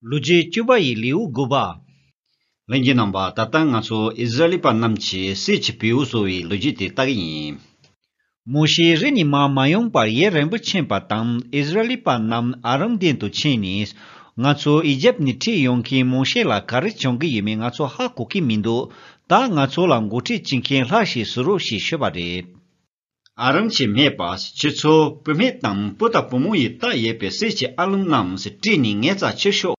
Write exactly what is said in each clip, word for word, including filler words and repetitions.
ལོ་རྒྱུས་བཅུ་པ་ཡི་ལེའུ་དགུ་པ། ལྷན་རྒྱས་རྣམ་པ། ད་ལྟ་ང་ཚོ་ཨིསི་ར་ཨེལ་པ་རྣམས་ཀྱིས་གསེར་གྱི་བེའུ་བཟོ་བའི་ལོ་རྒྱུས་དེ་ལྟ་གི་ཡིན། མོ་ཤེ་རི་ནས་མར་མ་ཡོང་བར་ཡུན་རིང་པོ་ཕྱིན་པ་དང་། ཨིསི་ར་ཨེལ་པ་རྣམས་ཨ་རོན་མདུན་དུ་ཕྱིན་ནས། ང་ཚོ་ཨི་ཇེབ་ནས་ཁྲིད་ཡོང་མཁན་མོ་ཤེ་ལ་ག་རེ་བྱུང་གི་ཡོད་མེད་ང་ཚོ་ཧ་གོ་གི་མི་འདུག་ད་ང་ཚོ་ལ་འགོ་ཁྲིད་བྱེད་མཁན་ལྷ་ཞིག་བཟོ་རོགས་ཞེས་ཞུས་པ་རེད། ཨ་རོན་གྱིས་སྨྲས་པ། ཁྱེད་ཚོ་བུད་མེད་དང་བུ་དང་བུ་མོ་ཡིས་བཏགས་ཡོད་པའི་གསེར་གྱི་ཨ་ལུང་རྣམས་སྤྲད་ནས་ངའི་རྩར་ཁྱེར་ཤོག་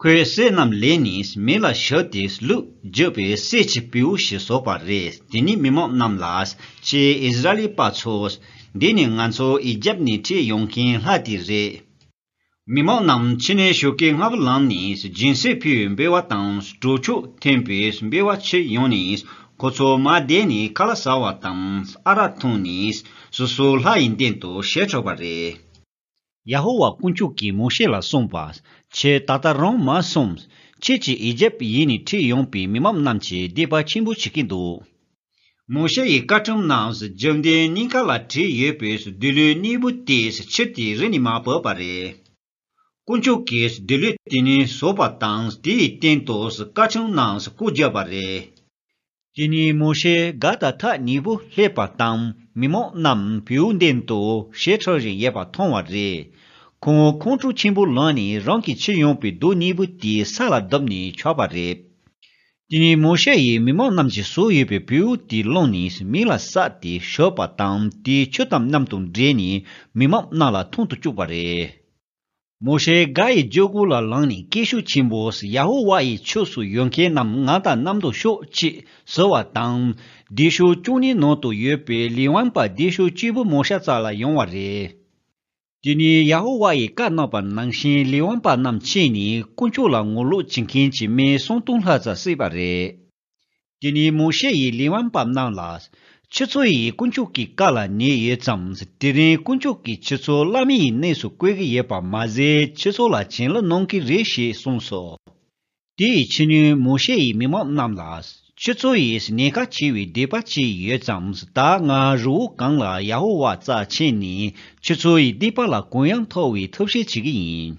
ཁོས་གསེར་རྣམས་ལེན་ནས་མེ་ལ་བཞག་སྟེ་བླུགས་བརྗོད་པའི་གསེར་གྱི་བེའུ་ཞིག་བཟོས་པ་རེད། དེ་ནས་མི་མང་རྣམས་ལ། ཁྱེད་ཨིསི་ར་ཨེལ་པ་ཚོ། འདི་ནི་ང་ཚོ་ཨི་ཇེབ་ནས་ཁྲིད་ཡོང་མཁན་ལྷ་དེ་རེད། མི་མང་རྣམས་ཕྱི་ནས་ཞོགས་ཀས་སྔ་པོ་ལངས་ནས་སྦྱིན་སྲེག་ཕུལ་བའི་འབུལ་བ་དང་གྲོ་ཆོག་འཐེན་པའི་འབུལ་བ་ཁྱེར་ཡོང་ནས། ཁོ་ཚོ་མར་བསྡད་ནས་ཁ་ལག་ཟ་བ་དང་ཨ་རག་འཐུང་ནས། སོ་སོ་ལྷ་ཡི་མདུན་དུ་ཞལ་ཕྱོགས་པ་རེད། ཡ་ཧོ་ཝཱ་དཀོན་མཆོག་གིས་མོ་ཤེ་ལ་གསུངས་པ། ཁྱེད་ད་ལྟ་རང་མར་སོང་། ཁྱེད་ཀྱིས་ཨི་ཇེབ་ཡུལ་ནས་ཁྲིད་ཡོང་པའི་མི་མང་རྣམས་ཀྱི་སྡིག་པ་ཆེན་པོ་བྱེད་ཀྱི་འདུག་མོ་ཤེ་ཡི་བཀའ་ཁྲིམས་རྣམས་རྒྱབ་མདུན་སྙིང་ཁ་ལ་བྲིས་ཡོད་པའི་སྡེ་ལུས་གཉིས་པོ་དེ་ཕྱིར་དེ་རི་ནས་མར་བབས་པ་རེད། དཀོན་མཆོག་གིས་སྡེ་ལུས་དེ་ནི་བཟོས་པ་དང་། དེའི་སྟེང་དུ་བཀའ་ཁྲིམས་རྣམས་བཀོད་བརྒྱབ་པ་རེད། དེ་ནས་མོ་ཤེ་སྒ་དང་ཐག་ཉེ་པོ་སླེབས་པ་དང་། མི་མང་རྣམས་བེའུ་མདུན་དུ་ཞལ་ཕྱོགས་བཞིན་ཡོད་པ་མཐོང་བ་རེད། ཁོང་ཁོང་ཁྲོ་ཆེན་པོ་ལངས་ནས་རང་གིས་ཁྱེར་ཡོང་པའི་རྡོ་གཉིས་པོ་དེ་ས་ལ་བརྡབས་ནས་ཆག་པ་རེད། དེ་ནས་མོ་ཤེ་ཡིས་མི་མང་རྣམས་ཀྱིས་བཟོས་ཡོད་པའི་བེའུ་དེ་བླངས་ནས་མེ་ལ་བསྲེགས་ཏེ་བཞག་པ་དང་། དེ་ཆུ་དང་མཉམ་དུ་འདྲེས་ནས་མི་མང་རྣམས་ལ་འཐུང་དུ་བཅུག་པ་རེད། མོ་ཤེ་སྒ་ཡི་རྒྱལ་སྒོ་ལ་ལངས་ནས་སྐད་ཤུགས་ཆེན་པོས། ཡ་ཧོ་ཝཱ་ཡི་ཕྱོགས་སུ་ཡོད་མཁན་རྣམས་ང་དང་མཉམ་དུ་ཤོག་ཅེས་ཟེར་བ་དང་། སྡེ་སྲིད་བཅུ་གཉིས་ནང་དུ་ཡོད་པའི་ལེ་ཝན་པ་སྡེ་སྲིད་གཅིག་པུ་མོ་ཤེ་རྩ་ལ་ཡོང་བ་རེད། དེ་ནས་ཡ་ཧོ་ཝཱ་ཡིས་བཀའ་གནང་བ་ནང་བཞིན་ལེ་ཝན་པ་རྣམས་ཕྱིན་ནས་དཀོན་མཆོག་ལ་ངོ་ལོག་བྱེད་མཁན་གྱི་མི་སུམ་སྟོང་ལྷག་ཙམ་བསད་པ་རེད། དེ་ནས་མོ་ཤེ་ཡིས་ལེ་ཝན་པ་རྣམས་ལ། ཁྱེད་ཚོ་ཡིས་དཀོན་མཆོག་གི་བཀའ་ལ་ཉན་ཡོད་ཙང་། དེ་རིང་དཀོན་མཆོག་གིས་ཁྱེད་ཚོ་བླ་མའི་གནས་སུ་བཀོད་ཀྱི་ཡོད་པ་མ་ཟད། ཁྱེད་ཚོ་ལ་བྱིན་རླབས་གནང་གི་རེད་ཞེས་གསུངས་སོ། དེའི་ཕྱི་ཉིན་མོ་ཤེ་ཡིས་མི་མང་རྣམས་ལ། ཁྱེད་ཚོ་ཡིས་ཉེན་ཁ་ཆེ་བའི་སྡིག་པ་བྱས་ཡོད་ཙང་། ད་ང་རི་བོ་གང་ལ་ཡ་ཧོ་ཝཱ་རྩར་ཕྱིན་ནས། ཁྱེད་ཚོ་ཡི་སྡིག་པ་ལ་གུ་ཡངས་ཐོབ་པའི་ཐབས་ཤེས་བྱེད་ཀྱི་ཡིན།